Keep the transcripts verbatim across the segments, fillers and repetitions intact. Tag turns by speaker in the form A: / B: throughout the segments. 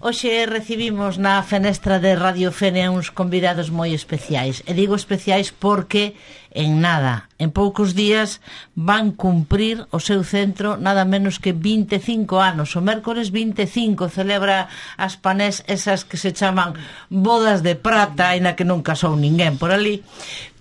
A: Hoxe recibimos na fenestra de Radio Fene uns convidados moi especiais. E digo especiais porque en nada, en poucos días van cumprir o seu centro nada menos que vinte e cinco anos. O mércores vinte e cinco celebra as Panés, esas que se chaman bodas de prata, aínda que non casou ninguén por ali.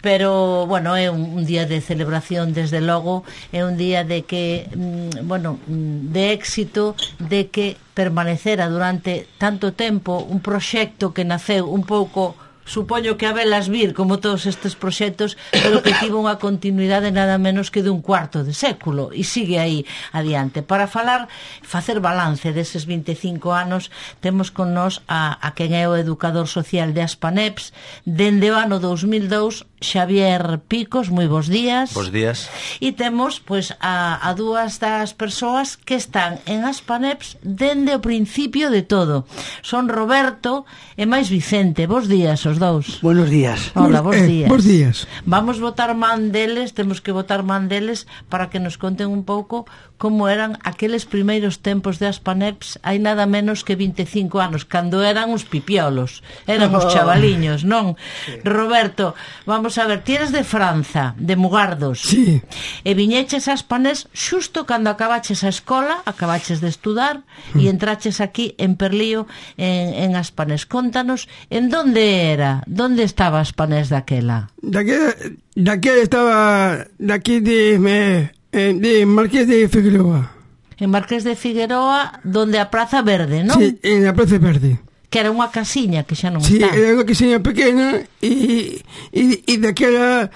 A: Pero, bueno, é un, un día de celebración, desde logo, é un día de que, mm, bueno, de éxito, de que permanecera durante tanto tempo un proxecto que naceu un pouco, supoño que a velas vir, como todos estes proxectos, pero que tivo unha continuidade nada menos que dun cuarto de século, e sigue aí adiante. Para falar, facer balance deses vinte e cinco anos, temos con nós a, a quen é o educador social de Aspaneps, dende o ano dous mil dous, Xavier Picos. Moi bons días.
B: Bos días.
A: E temos, pois, a, a dúas das persoas que están en Aspaneps dende o principio de todo. Son Roberto e máis Vicente. Bos días, os dous.
C: Buenos días.
A: Hola, bos
C: eh,
A: días.
C: Bos días.
A: Vamos votar man deles, temos que votar man deles para que nos conten un pouco como eran aqueles primeiros tempos de Aspaneps, hai nada menos que vinte e cinco anos, cando eran os pipiolos, eran os chavaliños, non? Sí. Roberto, vamos a ver, ti eres de Franza, de Mugardos.
C: Sí.
A: E viñeches a Aspanés xusto cando acabaches a escola, acabaches de estudar, mm. e entraches aquí en Perlío, en, en Aspanés. Contanos, en donde era? Donde estaba Aspanés daquela?
C: Daquela, daquela estaba daqui de... Me... de Marqués de Figueroa.
A: En Marqués de Figueroa, donde a Praza Verde, non?
C: Sí, en a Praza Verde.
A: Que era unha casiña que xa non
C: sí,
A: está.
C: Sí, era unha casiña pequena e, e, e daquela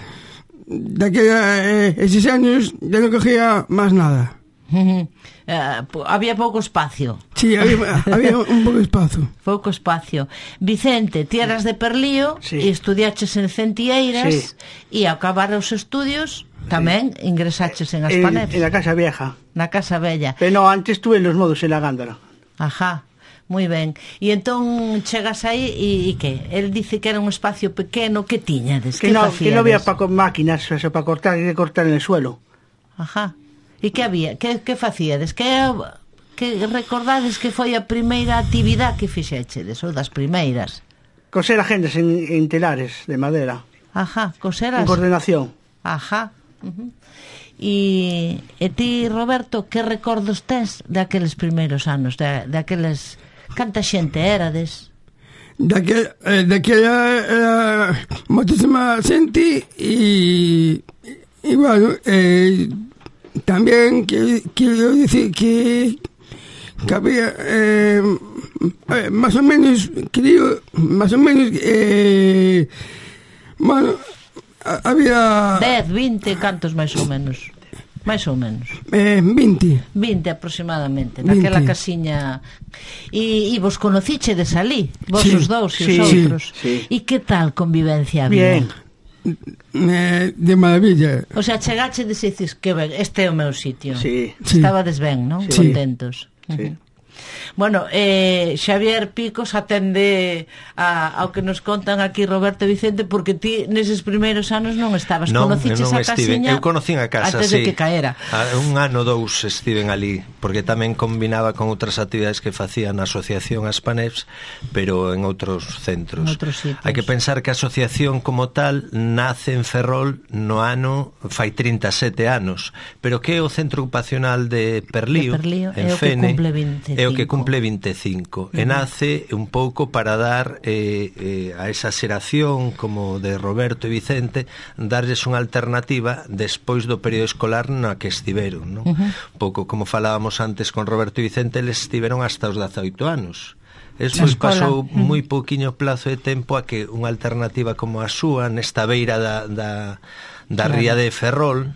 C: daquela eh, eses anos ya non cogía máis nada.
A: Uh, uh, había pouco espacio.
C: Sí, había, había un pouco espacio.
A: Pouco espacio. Vicente, ti eras de Perlío
C: sí.
A: e estudiaches en Centieiras e sí. ao acabar os estudios tamén sí. ingresaches en Aspaneps.
C: En, en la Casa Vieja.
A: Na Casa Bella.
C: Pero no, antes estuve en Los Modos, en la Gándara.
A: Ajá, moi ben. E entón chegas aí e, e que? El dice que era un espacio pequeno. Que tiñades?
C: Que,
A: que
C: no, que no había pa, máquinas eso, para cortar, que cortar en el suelo.
A: Ajá. E que había? Que, que facíades? Que, que recordades que foi a primeira actividade que fixechedes, ou das primeiras?
C: Coser agendas en, en telares de madera.
A: Ajá, coseras.
C: En coordinación.
A: Ajá. Uh-huh. E, e ti, Roberto, que recordos tes de aqueles primeiros anos, de, de aqueles... Canta xente érades?
C: Daquela, eh, daquela era moitísima xente e, e bueno, eh, tamén quero dicir que que había eh, eh, máis ou menos creo, máis ou menos eh, bueno, había
A: dez, vinte, cantos máis ou menos? Máis ou menos?
C: Eh, vinte.
A: vinte aproximadamente, naquela casiña. E, e vos conocichedes ali, vos sí, os dous e sí, os outros. Sí, sí. E que tal convivencia había?
C: Bien. Eh, de maravilla.
A: O sea, chegachedes e dices que ben, este é o meu sitio.
C: Sí.
A: Estabades ben, non?
C: Sí.
A: Contentos.
C: Sí.
A: Uh-huh. Bueno, eh, Xavier Picos atende a, ao que nos contan aquí Roberto e Vicente, porque ti neses primeiros anos non estabas,
B: non,
A: conociches
B: non
A: a casiña.
B: Eu conocín a casa,
A: antes
B: sí.
A: de que caera.
B: A, un ano dous estiven ali, porque tamén combinaba con outras actividades que facía na asociación Aspaneps, pero en outros centros.
A: En outros sitios.
B: Hai que pensar que a asociación como tal nace en Ferrol no ano fai trinta e sete anos, pero que é o centro ocupacional de Perlío,
A: de Perlío
B: en
A: é
B: Fene,
A: o que cumple vinte e cinco.
B: É o que cumple vinte e cinco. Uh-huh. E nace un pouco para dar eh, eh, a esa xeración como de Roberto e Vicente, darles unha alternativa despois do período escolar na que estiveron, non? Uh-huh. Un pouco como falábamos antes con Roberto e Vicente, eles estiveron hasta os dezaoito anos. Eso pasou uh-huh. moi pouquiño plazo de tempo a que unha alternativa como a súa nesta beira da, da, da claro. ría de Ferrol,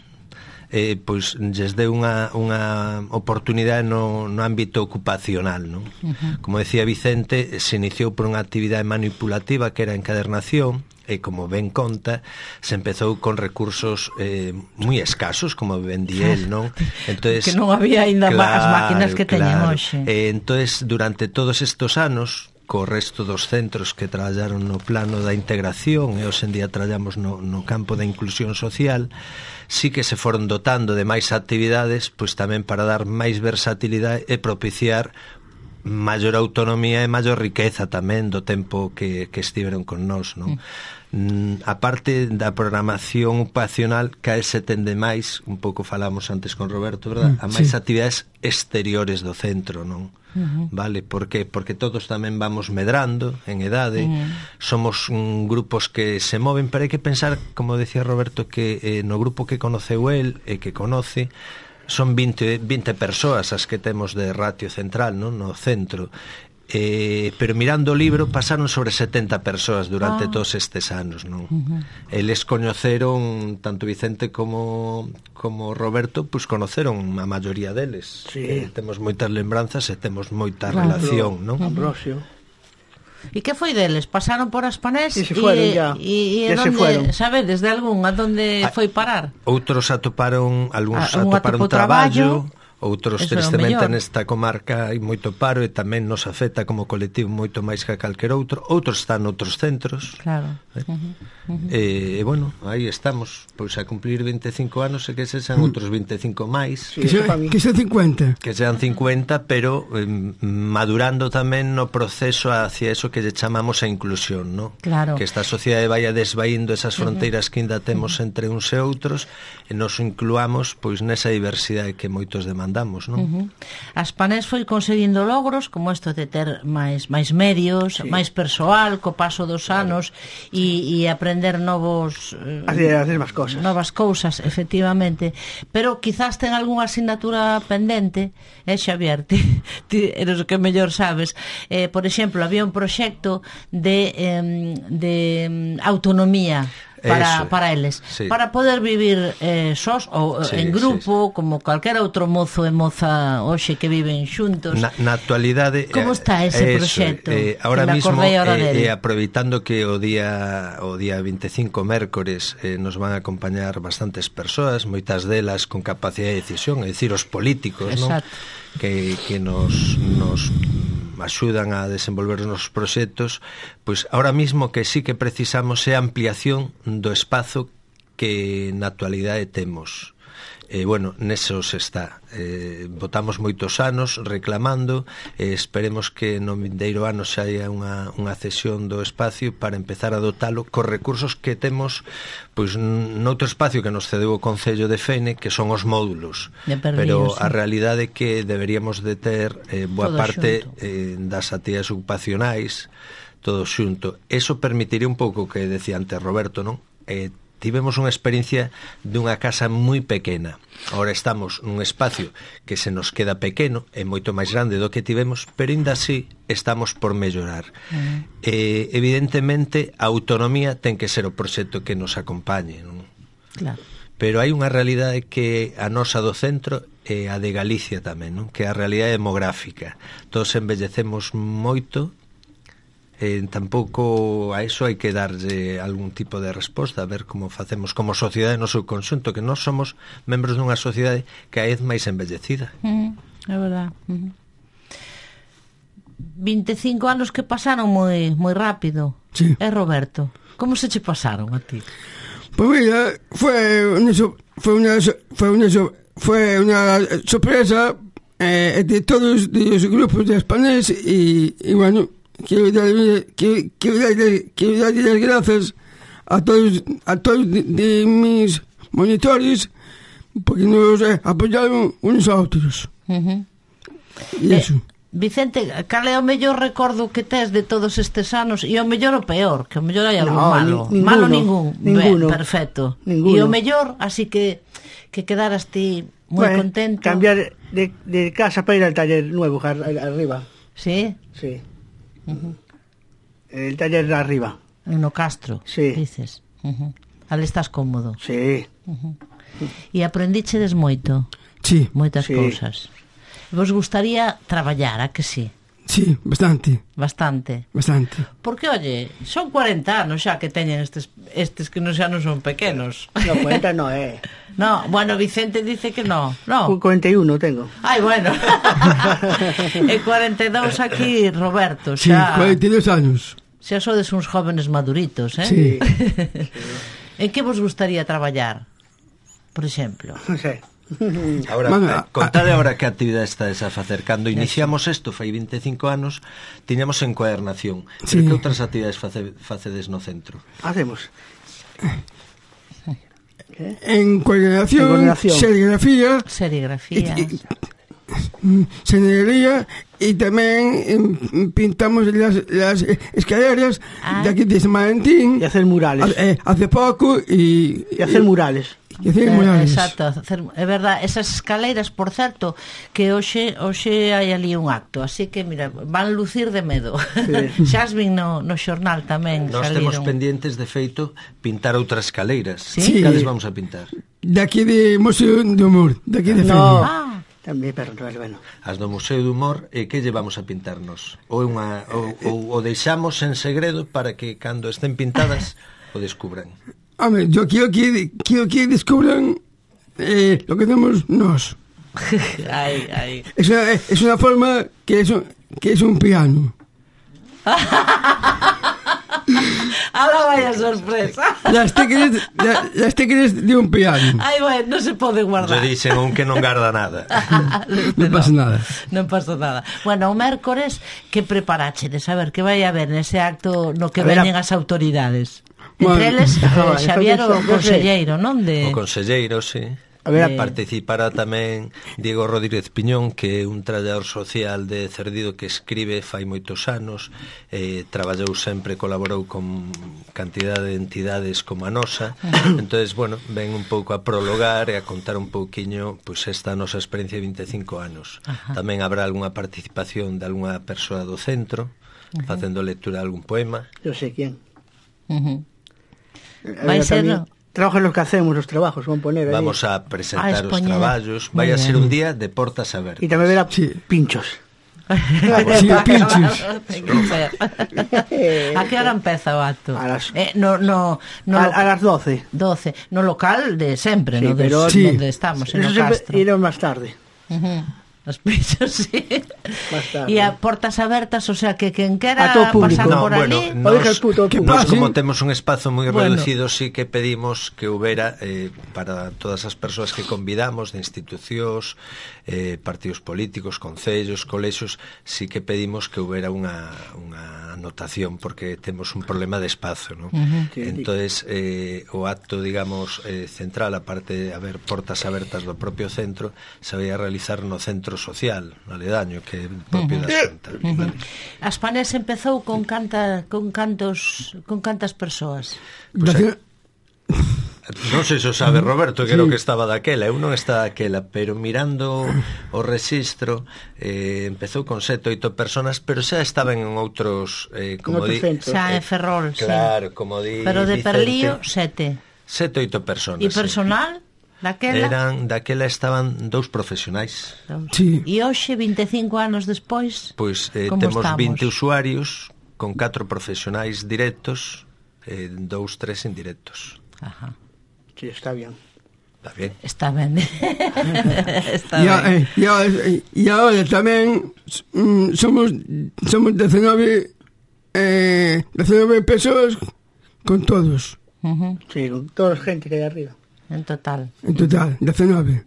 B: eh, pois lles deu unha, unha oportunidade no, no ámbito ocupacional, non? Uh-huh. Como decía Vicente, se iniciou por unha actividade manipulativa que era a encadernación, e como ben conta, se empezou con recursos eh, moi escasos, como ben di el, non? Entonces,
A: que non había ainda
B: claro,
A: as máquinas que teñen
B: claro.
A: hoxe.
B: Eh, entonces, durante todos estes anos, co resto dos centros que traballaron no plano da integración e hoxe en día traballamos no, no campo da inclusión social, sí que se foron dotando de máis actividades, pois tamén para dar máis versatilidade e propiciar maior autonomía e maior riqueza tamén do tempo que, que estiveron con nós, non? Mm. A parte da programación ocupacional, que se tende máis, un pouco falamos antes con Roberto, verdad? A máis sí. actividades exteriores do centro, non? Uh-huh. Vale, por que? Porque todos tamén vamos medrando en edade, uh-huh. somos un, grupos que se moven, pero hai que pensar, como decía Roberto, que eh, no grupo que conoceu el e que conoce, son vinte, vinte persoas as que temos de ratio central, non? No centro. Eh, pero mirando o libro pasaron sobre setenta persoas durante ah. todos estes anos, non? Uh-huh. Eles coñeceron, tanto Vicente como como Roberto, pois pues conoceron a maioría deles. Sí. Eh, temos moitas lembranzas e temos moita claro. relación, non?
D: Ambrosio.
A: E que foi deles? Pasaron por Aspanés
D: e se fueron
A: e,
D: ya.
A: E, e
D: ya
A: donde,
D: se fueron.
A: Sabedes de algún a donde foi parar?
B: Outros atoparon, algúns
A: ah,
B: atoparon traballo, traballo outros
A: eso
B: tristemente nesta comarca hai moito paro e tamén nos afecta como colectivo moito máis que a calquer outro. Outros están noutros centros.
A: Claro.
B: Eh? Uh-huh. Uh-huh. E, e bueno, aí estamos, pois a cumplir veinticinco anos e que se sean outros veinticinco máis.
C: Sí, que, se, que sean cincuenta.
B: Que sean cincuenta, pero eh, madurando tamén no proceso hacia eso que lle chamamos a inclusión, ¿no?
A: Claro.
B: Que esta sociedade vaya desvaindo esas fronteiras uh-huh. que ainda temos uh-huh. entre uns e outros e nos incluamos pois nesa diversidade que moitos demandamos, non?
A: Uh-huh. Aspanés foi conseguindo logros como isto de ter máis máis medios, sí. máis persoal co paso dos anos e, e aprender novos
D: eh, hacer, hacer máis cousas.
A: Novas cousas, efectivamente. Pero quizás ten algunha asignatura pendente, eh, Xavier, ti, ti eres o que mellor sabes. Eh, por exemplo, había un proxecto de eh, de autonomía para, para eles, sí. para poder vivir eh, sós ou sí, en grupo, sí, sí. como calquera outro mozo e moza hoxe que viven xuntos.
B: Na, na actualidade
A: como está ese
B: eso,
A: proxecto?
B: Eh, ahora mismo, eh, eh, aproveitando que o día o día veinticinco mércores eh, nos van a acompañar bastantes persoas, moitas delas con capacidade de decisión, é dicir, os políticos, non? Que, que nos, nos axudan a desenvolver os nosos proxectos, pois ahora mismo que sí que precisamos é ampliación do espazo que na actualidade temos. E, bueno, nesos está. Eh, votamos moitos anos reclamando, e esperemos que no vindeiro ano xa haya unha, unha cesión do espacio para empezar a dotalo cos recursos que temos pois noutro espacio que nos cedeu o Concello de Fene, que son os módulos. Pero a realidade é que deberíamos de ter eh, boa todo parte eh, das actividades ocupacionais, todo xunto. Eso permitiría un pouco que decía antes Roberto, non? Eh, tivemos unha experiencia dunha casa moi pequena. Ahora estamos nun espacio que se nos queda pequeno, é moito máis grande do que tivemos, pero ainda así estamos por mellorar. Uh-huh. Eh, evidentemente, a autonomía ten que ser o proxecto que nos acompañe, non?
A: Claro.
B: Pero hai unha realidade que a nosa do centro é a de Galicia tamén, non? Que é a realidade demográfica. Todos envellecemos moito. Eh, tampouco a eso hai que darlle algún tipo de resposta, a ver como facemos como sociedade no seu conxunto, que nós somos membros dunha sociedade cada vez máis envellecida.
A: Uh-huh. É verdad. Uh-huh. veinticinco anos que pasaron moi moi rápido.
C: Sí.
A: É Roberto, como se che pasaron a ti?
C: Pues mira, fue una fue una fue una fue una sorpresa eh, de todos los grupos de Aspanés y, y bueno, quiero darle, quiero, quiero darle, quiero darle las gracias a todos, a todos de, de mis monitores porque nos eh, apoyaron unos a otros.
A: Uh-huh.
C: E eso.
A: Eh, Vicente, cal é o mellor recordo que tes de todos estes anos e o mellor o peor, que o mellor hai algún
D: no,
A: malo?
D: Ninguno,
A: malo ningún.
D: ninguno.
A: Ben, perfecto.
D: Ninguno.
A: E o mellor, así que que quedaras ti moi
D: bueno,
A: contento.
D: Cambiar de, de casa para ir al taller nuevo arriba.
A: Sí?
D: Sí. Uh-huh. El taller de arriba.
A: No Castro,
D: sí.
A: Dices. Uh-huh. Ale estás cómodo.
D: Sí.
A: Uh-huh. E aprendichedes moito.
C: Sí.
A: Moitas
D: sí.
A: cousas. Vos gustaría traballar, a que sí?
C: Sí, bastante.
A: Bastante.
C: Bastante.
A: Porque, oye, son cuarenta anos xa que teñen estes estes que non xa non son pequenos.
D: No, cuarenta no é. Eh.
A: No, bueno, Vicente dice que no. No.
D: cuarenta y uno tengo.
A: Ai, bueno. E cuarenta e dous aquí, Roberto, xa.
C: Sí, cuarenta y dos anos.
A: Xa sodes uns jóvenes maduritos, eh?
C: Sí.
A: En que vos gustaría traballar? Por exemplo.
D: Non sei.
B: Ahora,
C: Bueno,
B: eh, contade ahora que actividade estades a facer. Cando iniciamos isto, fai veinticinco anos, tiñamos encuadernación.
C: Sí.
B: Pero que outras actividades face, facedes no centro?
D: Hacemos.
C: En coordinación,
D: En coordinación.
C: serigrafía,
A: Serigrafía.
C: y- y- señoría, y tamén em, pintamos las, las escaleras
A: Ah.
C: de aquí de San Valentín
D: Y hacer murales.
C: ha- eh, hace pouco y,
D: Y hacer murales.
C: y hacer
A: Eh,
C: murales.
A: Exacto, hacer, é verdad, esas escaleiras, por certo, que hoxe hoxe hai ali un acto, así que mira, van lucir de medo.
D: Sí.
A: Xa as vin no, no xornal tamén.
B: Nós
A: saliron.
B: temos pendientes, de feito, pintar outras escaleiras.
A: Sí?
B: Cales vamos a pintar?
C: De aquí de Museo do Humor, de aquí de
D: No.
C: Feria.
A: Ah,
D: También, pero bueno, bueno.
B: As do Museo do Humor, e que lle vamos a pintarnos? Ou, unha, ou, ou o deixamos en segredo para que cando estén pintadas o descubran?
C: Hombre, yo quiero que, quiero que descubran eh, lo que hacemos nos.
A: ai, ai.
C: Es una, es una forma que es un, que es un piano.
A: Ahora vaya sorpresa.
C: Las teclas, la- las teclas de un piano.
A: Ai, bueno, non se pode
B: Yo
A: guardar.
B: dicen un que non garda nada.
C: No pasa nada.
A: Non pasa nada. Bueno, o mércores, que preparache de saber que vai haber nese acto no que
D: A ver,
A: veñen
D: a-
A: as autoridades?
C: Bueno,
A: Entre eles,
D: no,
A: eh, Xavier, o
D: entonces, no sé.
A: conselleiro, non? De...
B: O conselleiro, sí.
D: A ver,
A: Eh,
B: Participará tamén Diego Rodríguez Piñón, que é un traballador social de Cerdido que escribe fai moitos anos, eh, traballou sempre, colaborou con cantidade de entidades como a nosa. Entonces, bueno, ven un pouco a prologar e a contar un pouquiño pois esta nosa experiencia de veinticinco anos.
A: Ajá.
B: Tamén habrá algunha participación de algunha persoa do centro, facendo lectura de algún poema.
D: Yo sé quién.
A: Uh -huh.
D: A
A: Vai
D: ver,
A: ser-
D: también, trabajo en los que hacemos, los trabajos, van a poner ahí.
B: Vamos a presentar
A: Ah,
B: os
A: expoñer.
B: traballos.
A: Moi
B: Vai a ser
A: ben.
B: un día de portas abertas.
D: Y también verá
C: Sí.
D: pinchos.
C: Sí, pinchos.
A: Ten que ser. A que hora empeza o acto?
D: A las-
A: eh, no, no, no
D: a,
A: lo-
D: a las doce.
A: doce. No local de sempre,
D: Sí,
A: no de,
D: pero-
C: Sí.
A: donde estamos, en
D: Eso
A: o
D: siempre
A: Castro.
D: iremos más tarde.
A: Uh -huh. Os pisos, sí.
D: Más tarde.
A: E a portas abertas, o sea, que quen quera
D: A todo público.
A: pasar
B: No,
A: por
B: bueno,
A: ali...
D: O deja el puto
C: ¿Qué
B: nos,
C: pasa?
B: como temos un espazo moi
A: Bueno.
B: reducido, sí que pedimos que houbera eh, para todas as persoas que convidamos de institucións, eh, partidos políticos, concellos, colexios, sí que pedimos que houbera unha, unha anotación porque temos un problema de espazo, ¿no?
A: Uh -huh.
D: Sí,
B: Entonces, eh, o acto, digamos, eh, central, aparte de haber portas abertas do propio centro, se vai a realizar no centro social, no aledaño, que é propio da Xunta. Vale.
A: As Panés empezou con canta, con cantos con cantas persoas.
B: Pues,
C: Nacional-
B: Non sei se o sabe Roberto, que era o que estaba daquela. Eu non estaba daquela, pero mirando o rexistro eh, empezou con sete, oito personas, pero xa estaban en outros eh, como
D: En outros
B: di,
D: centros.
A: Xa en Ferrol, sí.
B: claro, como di
A: Pero de
B: Vicente,
A: Perlío, sete.
B: sete, oito personas.
A: E
B: sí.
A: personal? Daquela?
B: Eran, daquela estaban dous profesionais.
C: Sí.
A: E hoxe, vinte e cinco anos despois,
B: Pois eh,
A: como
B: temos
A: estamos?
B: vinte usuarios con catro profesionais directos, eh, dous, tres indirectos.
A: Ajá.
D: Sí, está bien.
B: Está bien.
A: Está ben. Está
C: Y, a-
A: ben.
C: eh, y ahora, y ahora tamén mm, somos somos diecinueve eh, diecinueve persoas con todos
A: Uh -huh.
D: Sí, con toda la gente que hay arriba.
A: En total.
C: en total, diecinueve.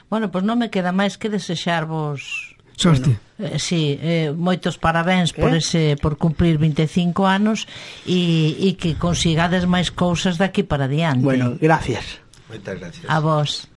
A: Bueno, pois non me queda máis que desexarvos
C: Sorte.
A: eh, sí, eh, moitos parabéns por
D: Eh?
A: ese por cumplir vinte e cinco anos e, e que consigades máis cousas daqui para diante.
D: Bueno, gracias.
B: Moitas gracias.
A: A vos.